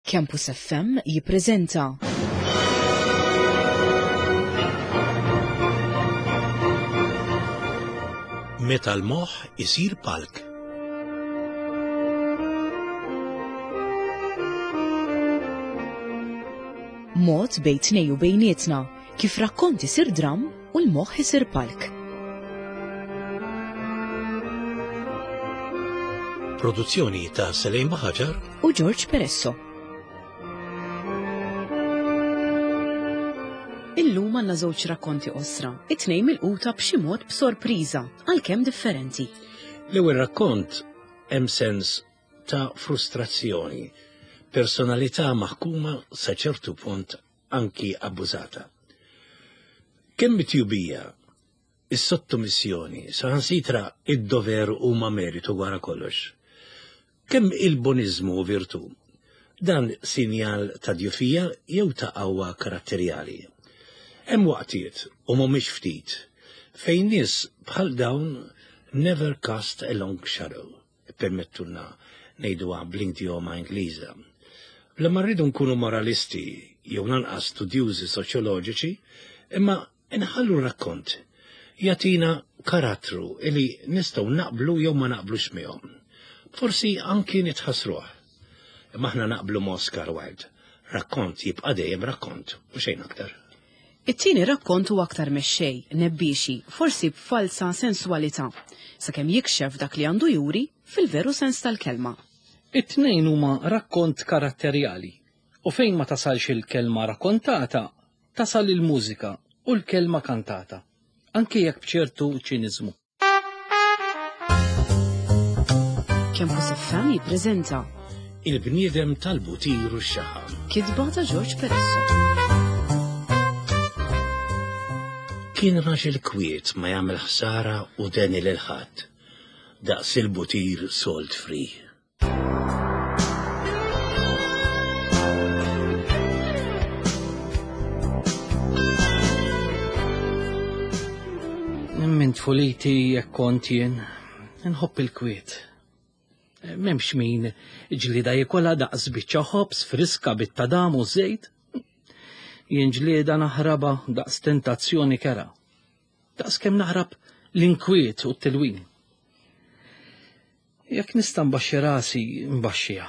Campus FM jippreżenta. Meta l-moħħ isir palk. Mod bejn tnej u bejnietna kif rakkont isir dramm u l-moħħ isir palk. Produzzjoni ta' Selejn Baħaġar u George Peresso. Illum għandna żewġ rakkonti qosra, it-tnejn milquta b'xi mod b'sorpriża, għalkemm differenti. L-ewwel rakkont hemm sens ta' frustrazzjoni, personalità maħkuma sa ċertu punt anki abbużata. Kemm it-tjubija, is-sottomissjoni, saħansitra id-dover huma meritu wara kollox. Kemm il-boniżmu u virtù, dan sinjal ta' djufija jew ta' qawwa karatterjali. Hemm waqtiet, u mhumiex ftit, fejn nies bħal dawn never cast a long shadow. Ippermettulna ngħiduha bl-idjoma Ingliża. Bla ma rridu nkunu moralisti jew lanqas studjużi soċjoloġiċi, imma nħallu r-rakkont jagħtina karattru li nistgħu naqblu jew ma naqblux miegħu. Forsi anki nitħassruh. Imma aħna naqblu ma' Oscar Wilde. Rakkont jibqa' dejjem rakkont u xejn aktar. It-tieni rakkont hu aktar mexxej, nebbiexi, forsi b'falsa senswalità, sakemm jikxef dak li għandu juri fil-veru sens tal-kelma. It-tnejn huma rakkont karatterjali u fejn ma tasalx il-kelma rakkontata, tasal il-mużika u l-kelma kantata, anki jekk b'ċertu ċiniżmu. Campus FM jippreżenta Il-bniedem tal-butir u x-xaħam. Kitba ta' George Peresso. Kien raġel kwiet ma jagħmel ħsara u deni lil ħadd. Daqs il-butir salt free. Minn tfuliti jekk kont jien, nħobb il-kwiet. M'hemmx min ġlida jikola daqs biċċa ħobż friska bit-tadam u żejt. Jien ġlieda naħraba daqs tentazzjoni kera. Daqs kemm naħrab l-inkwiet u t-tilwim. Jekk nista' nbaxxi rasi, nbaxxiha.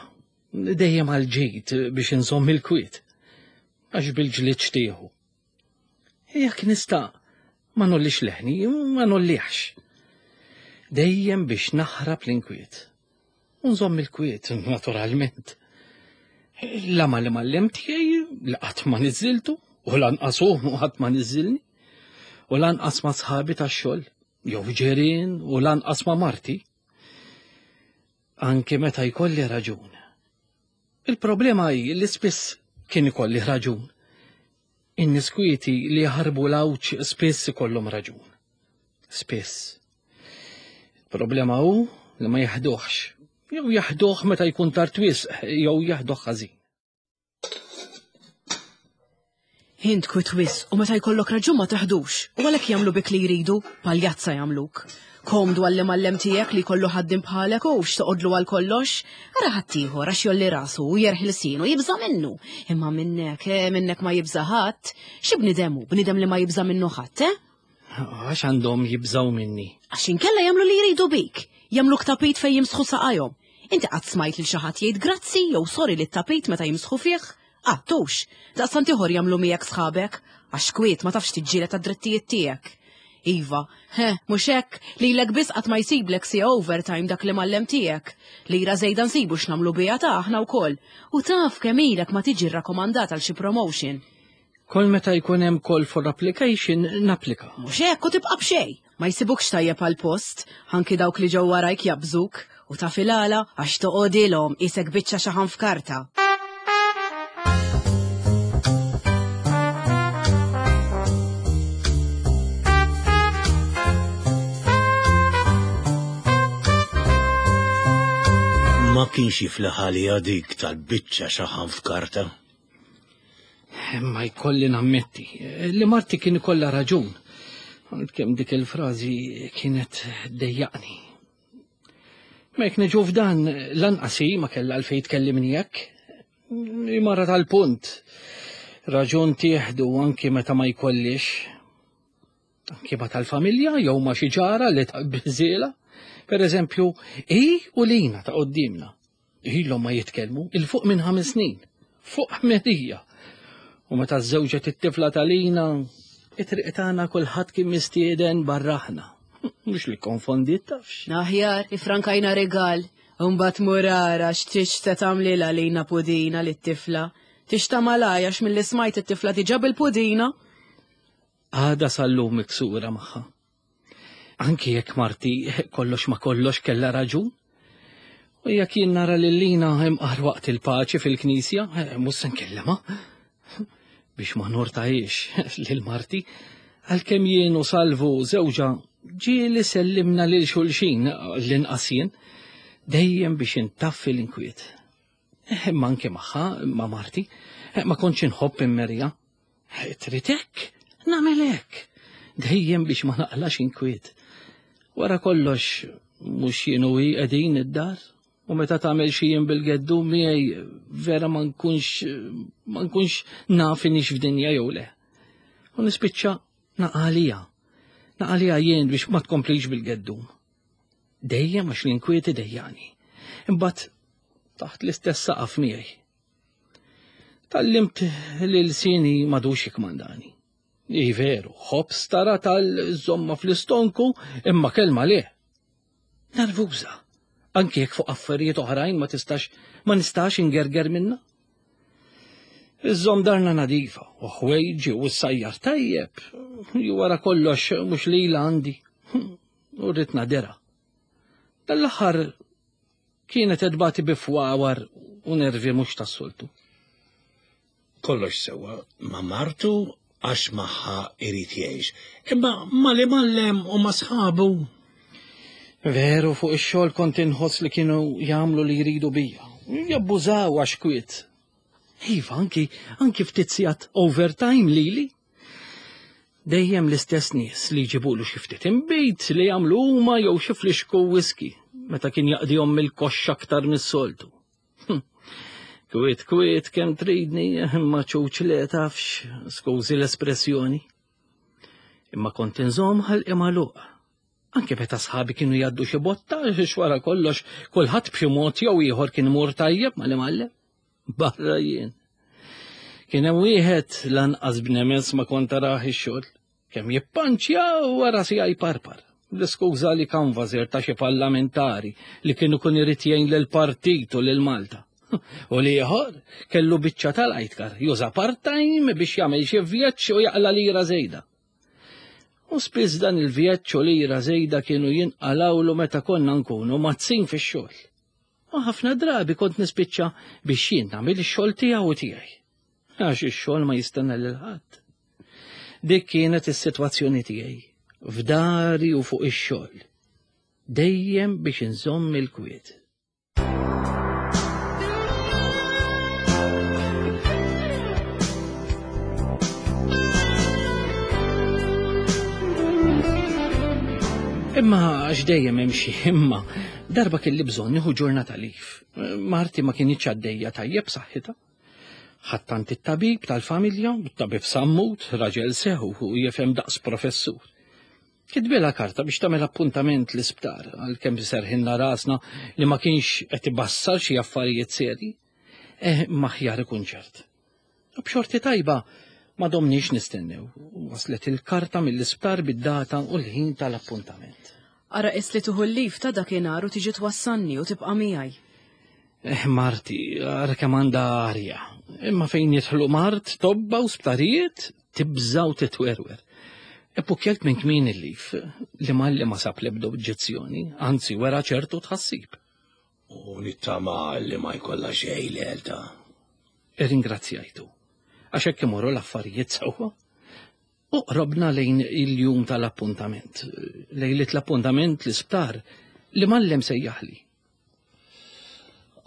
Dejjem għal ġid biex inżomm il-kwiet. Għax bil-ġlied xtieħu. Jekk nista' ma nollix leħni, ma nollieħx. Dejjem biex naħrab l-inkwiet. U nżomm il-kwiet, naturalment. La ma li mallem tiegħi li qatt ma niżiltu, u lanqas hu qatt ma niżilni, u lanqas ma sħabi tax-xogħol, jew ġirien, u lanqas ma marti. Anki meta jkolli raġun. Il-problema hi li spiss kien ikolli raġun. In-nies kwieti li jaħarbu l-għawġ spiss ikollhom raġun. Spiss. Il-problema hu li ma jaħduhx. Jew jaħduh meta jkun tard wisq, jew jaħduh ħażin. Int kwit wisq u meta jkollok raġun ma taħdux, u għalhekk jagħmlu bik li jridu, paljazza jagħmluk. Komdu għall-imgħallem tiegħek li jkollu ħaddiem bħalek u x'toqgħodlu għal kollox. Ara ħaddieħor għax jolli rasu u jerħi lsienu jibża' minnu. Imma minnek, eh, minnek ma jibża' ħadd. Xi bniedem hu, bniedem li ma jibża' minnu ħadd, eh? Għax għandhom jibżgħu minni. Għax inkella jagħmlu li jridu bik. Jagħmluk tapit fejn jimsħu saqajhom. Inti qatt smajt lil xi ħadd jgħid grazzi jew sorry lit-tapit meta jimsħu fih? Qatt hux. Daqstant ieħor jagħmlu miegħek sħabek. Għax kwiet ma tafx tiġġieled għad-drittijiet tiegħek. Iva, he, mhux hekk, lilek biss qatt ma jsiblek siegħa overtime dak l-imgħallem tiegħek. Lira żejda nsibu x'nagħmlu biha ta' aħna wkoll. U taf kemm ilek ma tiġi rrakkomandat għal xi promotion. Kull meta jkun hemm call for application napplika. Mhux hekk u tibqa' b'xejn. Ma jsibukx tajjeb għall-post, anki dawk li ġew warajk jabżuk, u taf il-għala għax toqgħodilhom qisek biċċa xaħam f'karta. Ma kienx jiflaħ għaliha dik tal-biċċa xaħam f'karta. Ma jkolli nammetti li marti kien ikollha raġun. Kemm dik il-frażi kienet dejjaqni. Ma jekk niġu f'dan lanqas hi ma kellha għalfejn tkellimni hekk. Mara tal-punt. Raġun tieħdu anki meta ma jkollix. Anki ma tal-familja jew ma xi ġara li taqbiżiela. Per eżempju, hi u lina ta' qoddimna. Ilhom ma jitkellmu il fuq minn ħames snin. Fuq ħmedija. U meta żewġet it-tifla ta' Lina, it-triq tagħna kulħadd kien mistieden barraħna. Mhux li konfondiet tafx. Aħjar, ifrankajna regal. Imbagħad mur ara x'tix se tagħmlilha lina pudina lit-tifla. Tix tagħmalha għax milli smajt it-tifla diġà bil-pudina. Għada sal-lum miksura magħha. Anki jekk marti kollox ma kollox kellha raġun. U jekk jien nara lil Lina imqar waqt il-paċi fil-knisja, eh, mhux se nkellema. Biex ma nortajiex lil marti, għalkemm jien u Salvu żewġa ġieli sellimna lil xulxin l-inqas jien, dejjem biex intaffi l-inkwiet. Eh, imma anke magħha, ma' marti, eh, ma kontx inħobb immerja. Eh, trid hekk? Nagħmel hekk. Dejjem biex ma naqlax inkwiet. Wara kollox, mhux jien u hi qegħdin id-dar, u meta tagħmel xi jien bil-geddu miegħi vera ma nkunx ma nkunx naf inix f'dinja jew le. U nispiċċa naqalija. Naqalija jien biex ma tkomplix bil-geddum. Dejjem għax l-inkwiet idejjani. Imbagħad taħt l-istess saqaf miegħi. Tallimt li l-sini madux jikmandani. I veru, ħobs tara tal-żomma fl-istonku imma kelma le. Nervuża. Anki jekk fuq affarijiet oħrajn ma tistax ma nistax ingerger minna. Iżżomm darna nadifa u ħwejġi u s-sajjar tajjeb, ju wara kollox mhux lila għandi. U rrid nadera. Dal-aħħar kienet edbati bi fwawar u nervi mhux tas-soltu. Kollox sewwa ma' martu għax magħha irid jgħix, imma mal-imgħallem u ma' sħabu. Veru fuq ix-xogħol kont inħoss li kienu jagħmlu li jridu bija. Jabbużaw għax kwiet. Iva, anki, anki ftit sigħat overtime lili. Dejjem l-istess nies li jġibulu xi ftit inbid li jagħmlu huma jew xi flixku whisky meta kien jaqdihom mill-koxxa aktar mis-soltu. Hm. Kwiet kwiet kemm tridni imma ċuċ li tafx, skużi l-espressjoni. Imma kont inżomm ħalqi magħluq. Anke meta sħabi kienu jgħaddu xi botta, xwara kollox, kulħadd b'xi mod jew ieħor kien imur tajjeb mal-imgħallem. Barra jien. Kien hemm wieħed lanqas b'nemes ma kont arah ix-xogħol. Kemm jippanċja u wara si jparpar. L-iskuża li kanvażer ta' xi parlamentari li kienu kun irid jgħin lill-partit u lil Malta. U li ieħor kellu biċċa tal-ajtkar juża part-time biex jagħmel xi vjaġġ u jaqla lira żejda. U spiss dan il-vjaġġ u lira żejda kienu jinqalawlu meta konna nkunu mazzin fix-xogħol. U ħafna drabi kont nispiċċa biex jien nagħmel ix-xogħol tiegħu u tiegħi. Għax ix-xogħol ma jistenna lil ħadd. Dik kienet is-sitwazzjoni tiegħi, f'dari u fuq ix-xogħol. Dejjem biex inżomm il-kwiet. Imma għax dejjem hemm xi imma darba kelli bżonn nieħu ġurnata lif. Marti ma kienitx għaddejja tajjeb saħħitha. Ħattant it-tabib tal-familja, tabib Sammut, raġel seħu u jifhem daqs professur. Kitbilha karta biex tagħmel appuntament l-isptar għalkemm serħinna rasna li ma kienx qed ibassar xi affarijiet serji. Eh, maħjar ikun ċert. U b'xorti tajba ma domniex nistennew. Waslet il-karta mill-isptar bid-data u l-ħin tal-appuntament. Ara qis li tuħu l-lif ta' dakinhar u tiġi twassalni u tibqa' miegħi. Eh, Marti, ara kemm għandha arja. Imma fejn jidħlu mart, tobba u sptarijiet, tibża' u titwerwer. Eppukjalt minn kmin il-lif li malli ma sab l-ebda oġġezzjoni, anzi wera ċertu tħassib. U nittama li ma jkollha xejn l-elta. Irringrazzjajtu. Għax hekk imorru l-affarijiet sewwa. U qrobna lejn il-jum tal-appuntament. Lejlit l-appuntament l-isptar li mallem sejjaħli.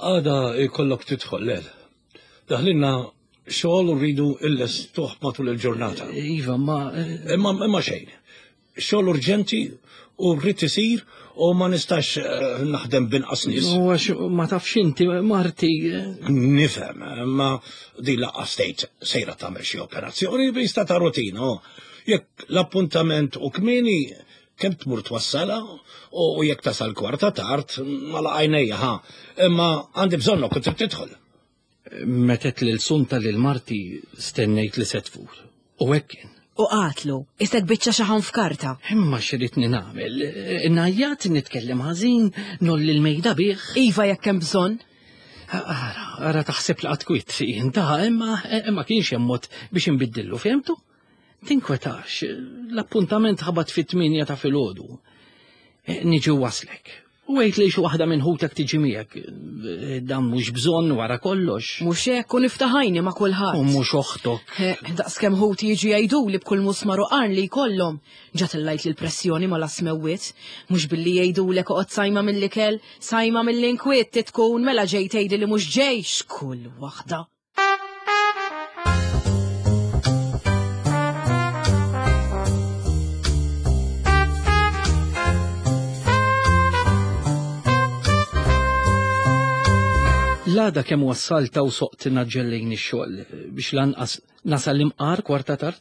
Għada jkollok tidħol l Daħlinna xogħol u rridu il-lestuħ matul il-ġurnata. Iva, ma. Imma imma xejn. Xogħol urġenti u rrid isir u ma nistax eh, naħdem binqas nies. U għax ma tafx inti marti. Eh. Nifhem, ma din laqqas tgħid sejra tagħmel xi operazzjoni bista ta' rutina. Oh. Jekk l-appuntament u kmieni kemm tmur twassala u jekk tasal kwarta tard ma laqajnejja ha. Imma għandi bżonnok u trid tidħol. Metet lil sunta lil marti stennejt li se tfur. U hekk kien. U qatlu, isek biċċa xaħam f'karta. Imma x'ridni nagħmel? Ngħajjat, nitkellem ħażin, nolli l-mejda bih. Iva jekk hemm bżonn. Ara, ara taħseb li qatt kwiet jien ta' imma imma kienx hemm mod biex inbiddillu, fehmtu? Tinkwetax, l-appuntament ħabat fit-8 ta' filgħodu. Niġi waslek. U għid li xi waħda minn ħutek tiġi miegħek. Dan mhux bżonn wara kollox. Mhux hekk u niftaħajni ma' kulħadd. U mhux oħtok. Daqskemm ħuti jiġu jgħiduli b'kull musmar u qarn li jkollhom. Ġa tellajt li l-pressjoni ma lasmewwiet. Mhux billi jgħidulek oqgħod sajma mill-ikel, sajma mill-inkwiet titkun mela ġej tgħidli li mhux ġej x'kull waħda. L-għada kemm wassalta u soqt naġġellejn ix-xogħol biex lanqas nasal imqar kwarta tard.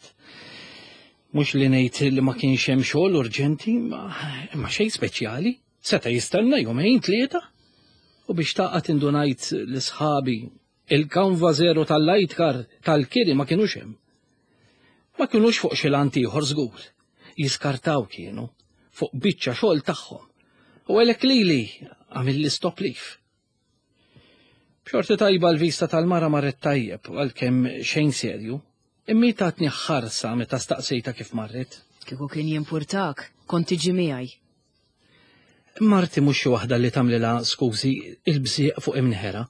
Mhux li ngħid li ma kienx hemm xogħol urġenti, ma xejn speċjali. Seta' jistenna jumejn tlieta. U biex taqgħad indunajt li sħabi il-kanva zero tal-light car tal-kiri ma kinux hemm. Ma kinux fuq xi lant ieħor żgur. Jiskartaw kienu fuq biċċa xogħol tagħhom. U għalhekk lili għamilli stop leave. B'xorti tajba l-vista tal-mara marret tajjeb għalkemm xejn serju, imma hi tatni ħarsa meta staqsejtha kif marret. Kieku kien jimpurtak, kont tiġi miegħi. Marti mhux xi waħda li tagħmlilha skużi il-bżieq fuq imneħerha.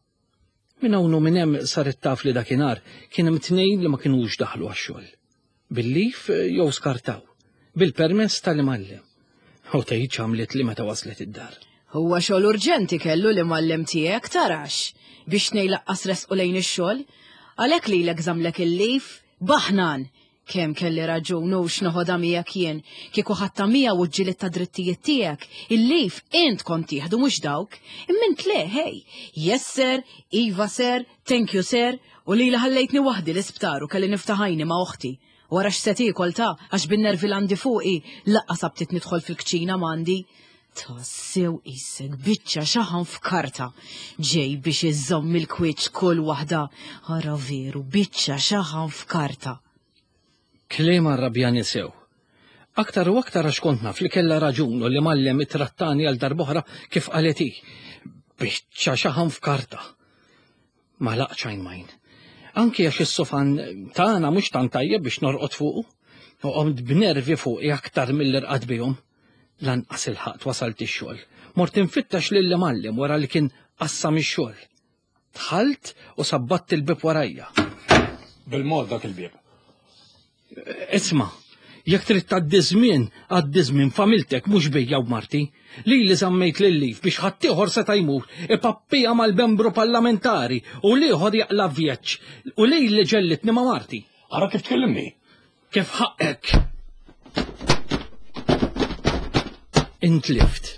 Minn hawn u minn hemm saret taf li dakinhar kien hemm tnejn li ma kinux daħlu għax-xogħol. Bil-lif jew skartaw, bil-permess tal-imgħallem. U tgħid x'għamlet li meta waslet id-dar. Huwa xogħol urġenti kellu l-imgħallem tiegħek tarax biex tnejn laqqas resqu lejn ix-xogħol. Għalhekk lilek żammlek il-lif, baħnan! Kemm kelli raġun hux noħodha miegħek jien. Kieku ħadtha miegħu u ġġilidt għad-drittijiet tiegħek, il-leave int kont tieħdu mhux dawk. Imma int le, hey! Yes sir, iva sir, thank you sir, u lili ħallejtni waħdi l-isptar u kelli niftaħ għajni ma' oħti. Wara x'se tiekol ta' għax bin-nervi l-għandi fuqi, laqqas aptit nidħol fil-kċina m'għandi. Tassew qisek biċċa xaħam f'karta. Ġej biex iżżomm il-kwiċċ kull waħda. Ara veru biċċa xaħam f'karta. Kliem arrabjani sew. Aktar u aktar għax kont naf li kellha raġun u li mgħallem ittrattani għal darb'oħra kif qalet hi. Biċċa xaħam f'karta. Ma laqtx għajn m'għajn. Anki għax is-sofan tagħna mhux tant tajjeb biex norqod fuqu. U qomt b'nervi fuqi aktar milli rqadt bihom. Lanqas ilħaqt wasalt ix-xogħol. Mort infittex lill-imgħallem wara li kien qassam ix-xogħol. Dħalt u sabbatt il-bieb warajja. Bil-mod dak il-bieb. Isma', jekk trid tgħaddi żmien, għaddi żmien familtek mhux bija u marti. Lili żammejt lil-lif biex ħaddieħor seta' jmur ipappija mal-membru parlamentari u l-ieħor jaqla' vjeġġ u lili ġellitni ma' marti. Ara kif tkellimni. Kif ħaqqek? Intlift.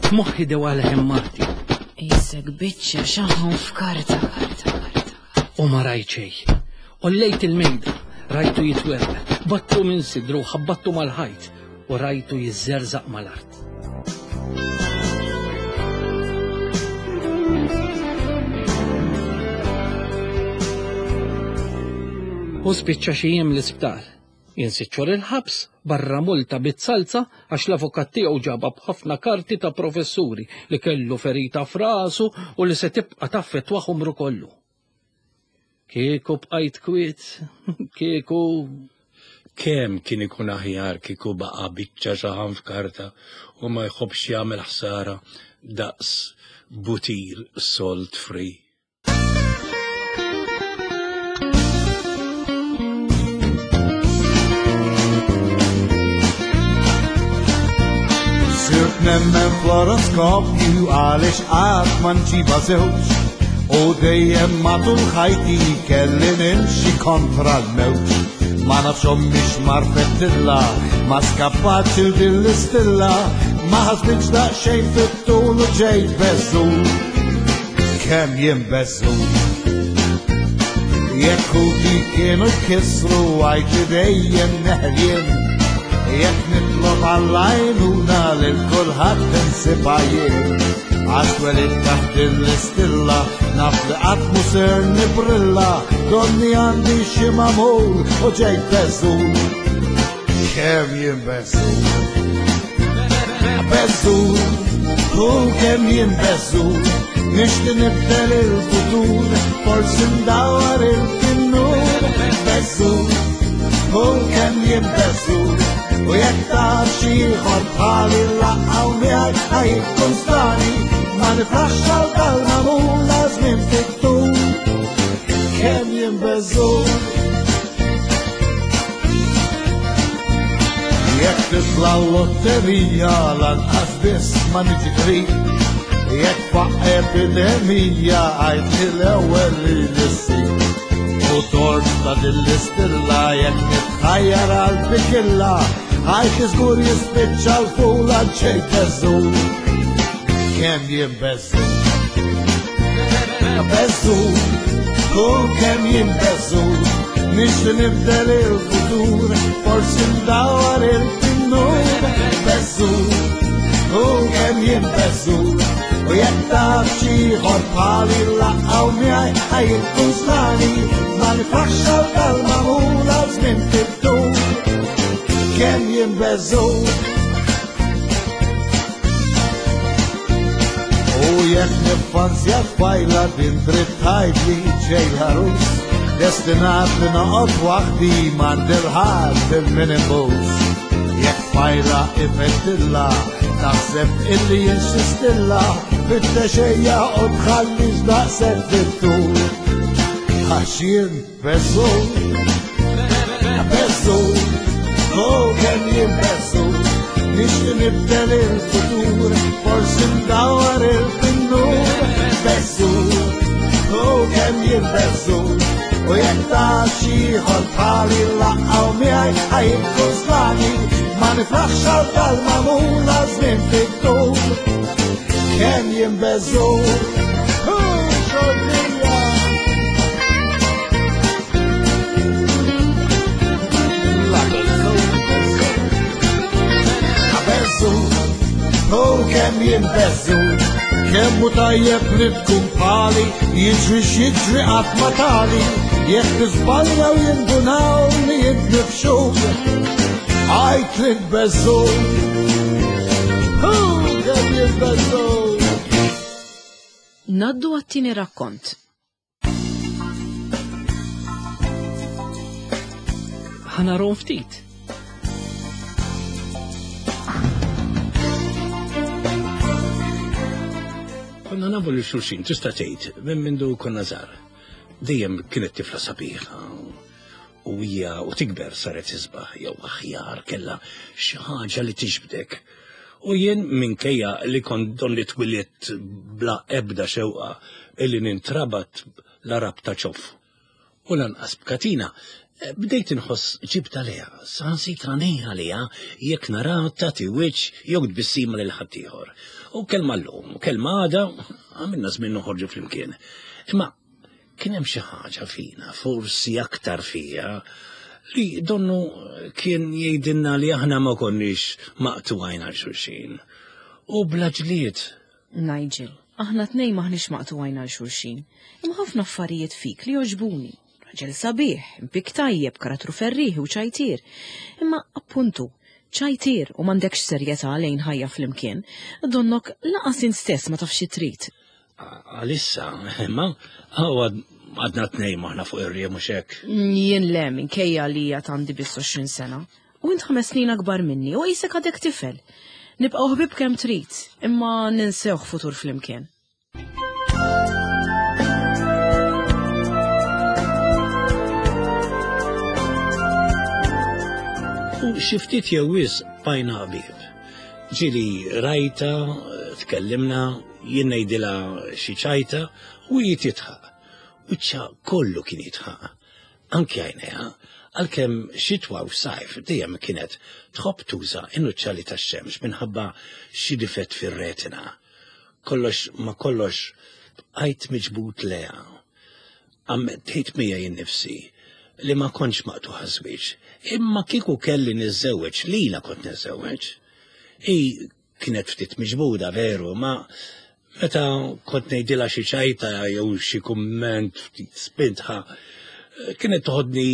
F'moħħi dewa leħen marti. Isek biċċa xaħam f'karta, karta, karta. U ma rajt xejn. Ollejt il-mejda, rajtu jitwerwer, battu minn sidru, ħabbattu mal-ħajt u rajtu jiżżerżaq mal-art. U spiċċa xi jiem l-isptar. Jien sitt xhur il-ħabs, barra multa bit-salza għax l-avukat tiegħu ġabha b'ħafna karti ta' professuri li kellu ferita f'rasu u li se tibqa' taffettwah umru kollu. Kieku bqajt kwiet, kieku. Kemm kien ikun aħjar kieku baqa' biċċa xaħam f'karta u ma jħobbx jagħmel ħsara daqs butir salt free. Sirt nemmen fl-oroskopju għaliex qatt ma nġibha żewġ u dejjem matul ħajti kelli nimxi kontra l-mewġ. Ma nafx ommix marfet tilla Ma skappatx il din l-istilla, ma ħasbitx daqsxejn fit-tul u ġejt beżżul. Kemm jien beżżul. Jekk ħuti kienu jkissru għajt li dejjem neħel jien. Jekk nitlob għall-għajnuna lil kulħadd insibha jien. Għax twelidt taħt din l-istilla, naf li qatt mhu ser nibrilla, donni għandi xi magħmul u ġejt beżżul. Kemm jien beżżul. Beżżul, u kemm jien beżżul. Nixti nibdel il-futur, forsi ndawar il-tinnur. Beżżul, u kemm jien beżżul. U jekk taf xi ieħor bħali laqgħu miegħi ħajkun strani, ma nifraħx għal dal-magħmul għal żmien fit-tul. Kemm jien beżżul. Jekk titla' l-lotterija lanqas biss ma niġi qrib. Jekk faq epidemija għajt li l-ewwel li nissib. U tort ta' din l-istilla jekk nitħajjar għal bikilla għajt li żgur jispiċċa l-fula ġejt beżżul. Kemm jien beżżul. Beżżul, u kemm jien beżżul. Nixti nibdel il-futur, forsi ndawar il-tinnur. Beżżul, u kemm jien beżżul. U jekk taf xi ieħor bħali laqgħu miegħi ħajkun strani, ma nifraħx għal dal-magħmul għal żmien fit-tul. Kemm jien beżżul. U jekk niffanzja tfajla din trid tgħidli ġej l-għarus, destinat li noqgħod waħdi m'għandi l-ħadd il-min inbus. Jekk tfajla ifettilla, taħseb illi jien xi stilla, fittex ejja u tħallix daqshekk fit-tul. Għax jien beżżul, beżżul, u kemm jien beżżul. Nixti nibdel il-futur, forsi ndawar il-finnur. Beżżul, u kemm jien beżżul. U jekk taf xi ieħor bħali laqgħu miegħi ħajkun strani, ma nifraħx għal dal-magħmul għal żmien fit-tul. Kemm jien beżżul. Hu, xortija. La beżżul, beżżul. Beżżul, u kemm jien beżżul. Kemm hu tajjeb li tkun bħali, jiġri x'jiġri qatt ma tali, jekk tiżbalja u jindunaw li int mifxul. Għajt li tbeżżul. Hu, kemm jien beżżul. Ngħaddu għat-tieni rakkont. Ħa narahom ftit. Konna nafu li xulxin, tista' tgħid, minn mindu konna żgħar. Dejjem kienet tifla sabiħa u hija u tikber saret isbaħ jew aħjar kellha xi ħaġa li tiġbdek. U jien minkejja li kont donni twilidt bla ebda xewqa illi nintrabat la rabta ċoff u lanqas b'katina, bdejt inħoss ġibda lejha, saħansitra ngħir għaliha jekk naraha tagħti wiċċ jew tbissima lil ħaddieħor. U kelma llum, u kelma għada, għamilna żmien noħorġu flimkien. Imma kien hemm xi ħaġa fina, forsi aktar fija, li donnu kien jgħidilna li aħna ma konniex maqtugħin għal xulxin. U bla ġlied. Nigel, aħna tnejn m'aħniex maqtugħin għal xulxin, imma ħafna affarijiet fik li jogħġbuni. Raġel sabiħ, impik tajjeb, karattru ferrieħi u ċajtier. Imma appuntu, ċajtier u m'għandekx serjetà lejn ħajja flimkien, donnok laqas int stess ma tafx xi trid. Għalissa, imma għadna tnejn maħna fuq ir-riem mhux hekk. Jien le, minkejja li għad għandi biss 20 sena. U int 5 snin akbar minni u qisek għadek tifel. Nibqgħu ħbieb kemm trid, imma ninsewh futur flimkien. U xi ftit jew wisq bqajna ħbieb. Ġieli rajta, tkellimna, jien ngħidilha xi ċajta u hi tidħaq. Wiċċha kollu kien jidħaq. Anki għajnejha, għalkemm xitwa u sajf dejjem kienet tħobb tuża n-nuċċali tax-xemx minħabba xi difett fir-retina. Kollox ma kollox bqajt miġbud lejha. Ammettejt miegħi nnifsi li ma kontx maqtugħ għaż-żwieġ, imma kieku kelli niżżewweġ lilha kont niżżewweġ. Hi Kienet ftit miġbuda veru, ma meta kont ngħidilha xi ċajta jew xi kumment ftit spintħa, kienet toħodni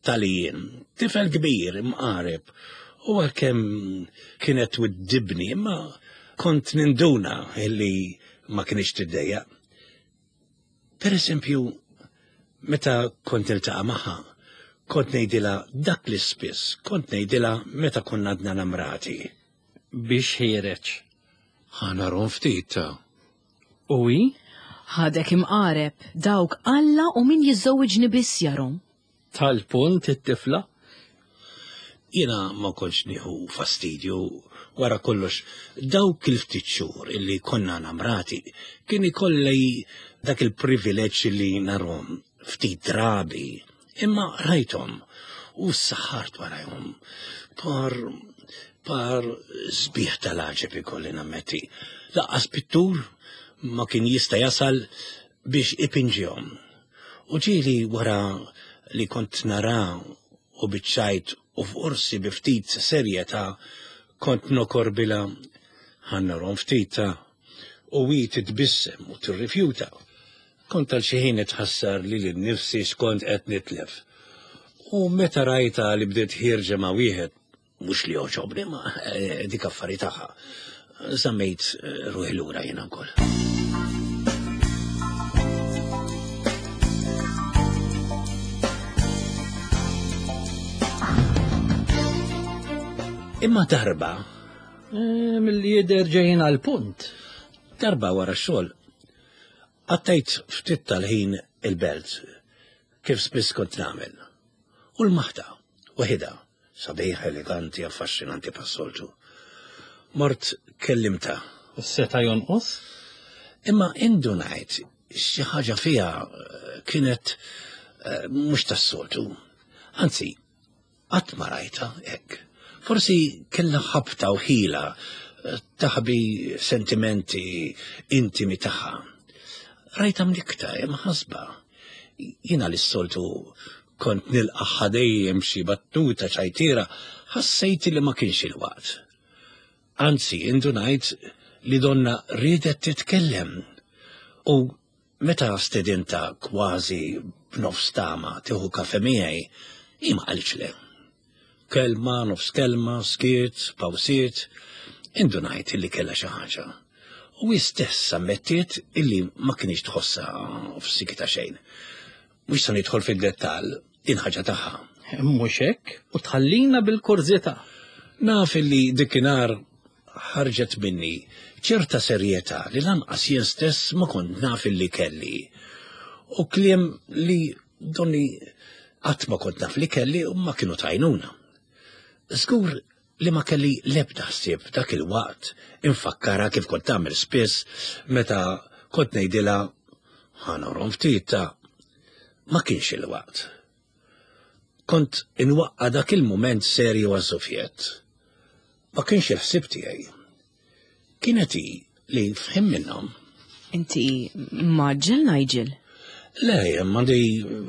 talijien. Tifel kbir, imqareb, u għalkemm kienet twiddibni, imma kont ninduna illi ma kienx tiddejjaq. Per eżempju, meta kont niltaqa' magħha, kont ngħidilha dak li spiss kont ngħidilha meta konna għadna namrati. Biex ħiereġ. Ħa narhom ftit ta'. U hi? Ħadek imqareb, dawk Alla u min jiżżewwiġni biss jarhom. Tal-punt it-tifla? Jiena ma kontx nieħu fastidju, wara kollox dawk il-ftit xhur illi konna namrati kien ikolli dak il-privileġġ li narhom ftit drabi, imma rajthom u ssaħħart warajhom. Par par sbieħ tal-għaġeb ikolli nammetti. Laqqas pittur ma kien jista' jasal biex ipinġihom. U ġieli wara li kont nara u biċ-ċajt u forsi bi ftit serjetà kont nokorbilha ħa narhom ftit ta' u hi titbissem u tirrifjuta. Kont għal xi ħin nitħassar lili nnifsi x'kont qed nitlef. U meta rajtha li bdiet ħierġa ma' wieħed, mhux li jogħġobni ma eh, dik affari tagħha. Żammejt eh, ruħi lura jiena wkoll. Imma darba. Eh, mill-li jidher ġejjin għal punt. Darba wara x-xogħol Għaddejt ftit tal-ħin il-belt, kif spiss kont nagħmel. U l-maħta, waħidha, sabiħa, eleganti, affaxxinanti bħas-soltu. Mort kellimtha. Seta' jonqos? Imma indunajt xi ħaġa fiha eh, kienet eh, mhux tas-soltu. Anzi, Qatt ma rajtha hekk. Forsi kellha ħabta u ħila eh, taħbi sentimenti intimi tagħha. Rajtha mnikta imħasba. Jiena li s-soltu kont nilqaħħa dejjem xi battuta ċajtiera, ħassejt li ma kienx il-waqt. Anzi, indunajt li donna riedet titkellem. U Meta stedintha kważi b'nofs tama tieħu kafe miegħi, hi ma qalitx le. Kelma, nofs kelma, skiet, pawsiet, indunajt illi kellha xi ħaġa. U hi stess ammettiet illi ma kinitx tħossha f'sikitha xejn. Mhux se nidħol fid-dettall, din ħaġa tagħha. Mhux hekk, u tħallina bil-kurżità. Naf illi dikinhar ħarġet minni ċerta serjetà li lanqas jien stess ma kont naf illi kelli. U kliem li donni qatt ma kont naf li kelli u ma kienu tajnuna. Żgur li ma kelli l-ebda ħsieb dak il-waqt infakkarha kif kont tagħmel spiss meta kont ngħidilha ħa norom ftit ta' ma kienx il-waqt. Kont inwaqqa' dak il-mument serju għaż-żufjett. Ma kienx il-ħsieb tiegħi. Kienet hi li f'ħin minnhom. Inti mgħaġġel Nigel? Le, m'għandi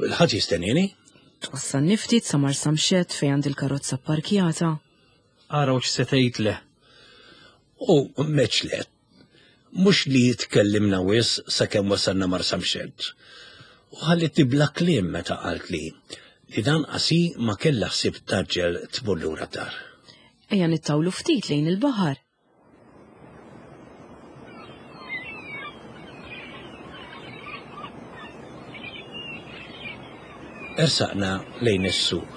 l-ħadd jistennini. Twassalni ftit sa Marsamxett fejn għandi l-karozza pparkjata. Araw x'se tgħid le. U meċlet. Mhux li tkellimna wisq sakemm wasalna Marsamxett. U ħallitni bla kliem meta qaltli li lanqas hi ma kellha ħsieb tgħaġġel tmur lura d-dar. Ejja nittawlu ftit lejn il-baħar. Ersaqna lejn is-sur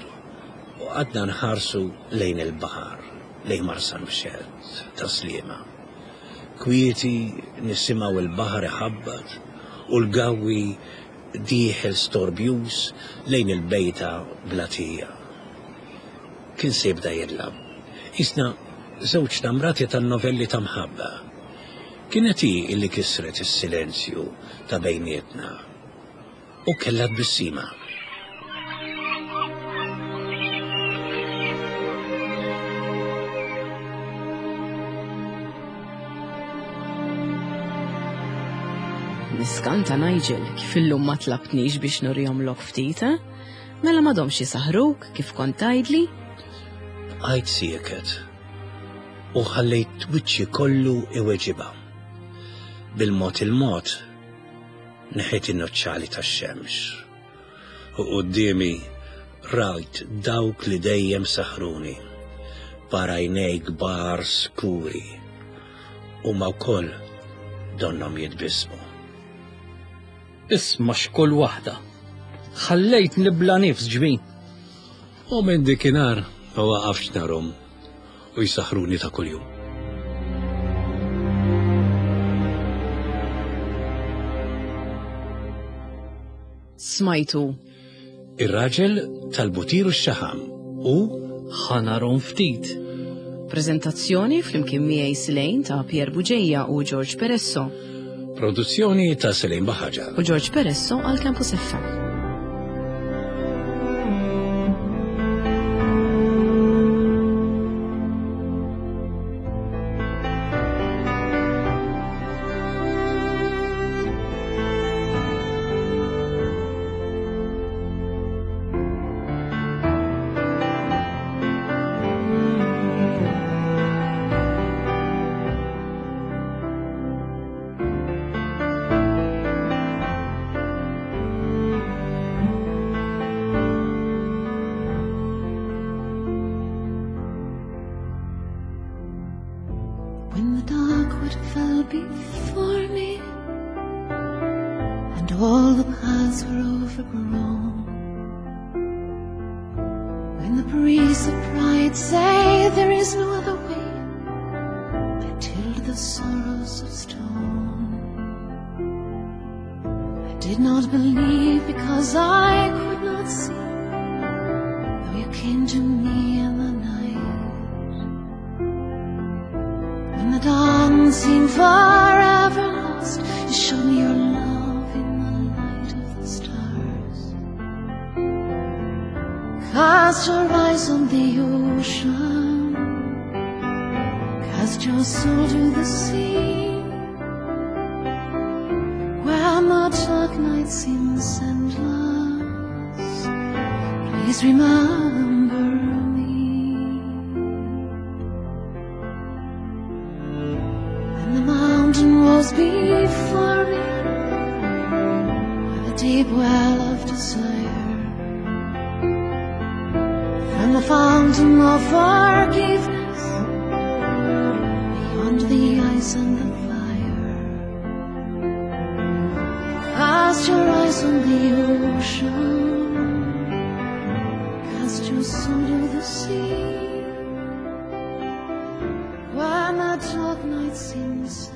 u qgħadna nħarsu lejn il-baħar, lejn Marsamxett, Tas-Sliema. Kwieti nisimgħu l-baħar iħabbat u l-gawwi dieħel storbjuż lejn il-bejta blatija. Kien se jibda jidlam. Qisna żewġ namrati tan-novelli ta' mħabba. Kienet hi illi kisret is-silenzju ta' bejnietna. U kellha tbissima. Niskanta Nigel kif illum ma tlabtnix biex nurihomlok ftit, eh? Mela m'għadhomx jisaħruk kif kont tgħidli? Bqajt sieket u ħallejt wiċċi kollu iweġibha. Bil-mod il-mod neħħejt in-noċċali tax-xemx u quddiemi rajt dawk li dejjem saħruni par għajnej kbar skuri huma wkoll donnhom jitbissmu. Isma' x'kull waħda. Ħallejt nibla nifs ġbin. U minn dikinhar ma waqafx narhom u jsaħruni ta' kuljum. Smajtu. Ir-raġel tal-butir u x-xaħam u Ħanarom ftit. Preżentazzjoni flimkien miegħi Silejn ta' Pier Buġeja u George Peresso. Produzzjoni ta' Selejn Baħaġa. U George Peresso għal Campus FM. When the dark wood fell before me, and all the paths were overgrown, when the priests of pride say there is no other way, I tilled the sorrows of stone. I did not believe because I could not see, though you came to me in the night. When the dawn seemed forever lost, you showed me your love in the light of the stars. Cast your eyes on the ocean, cast your soul to the sea. When the dark night seems endless, please remember me. And the mountain rose before me, by the deep well of desire. From the fountain of forgiveness, beyond the ice and the fire. Cast your eyes on the ocean, cast your soul to the sea. When the dark night seems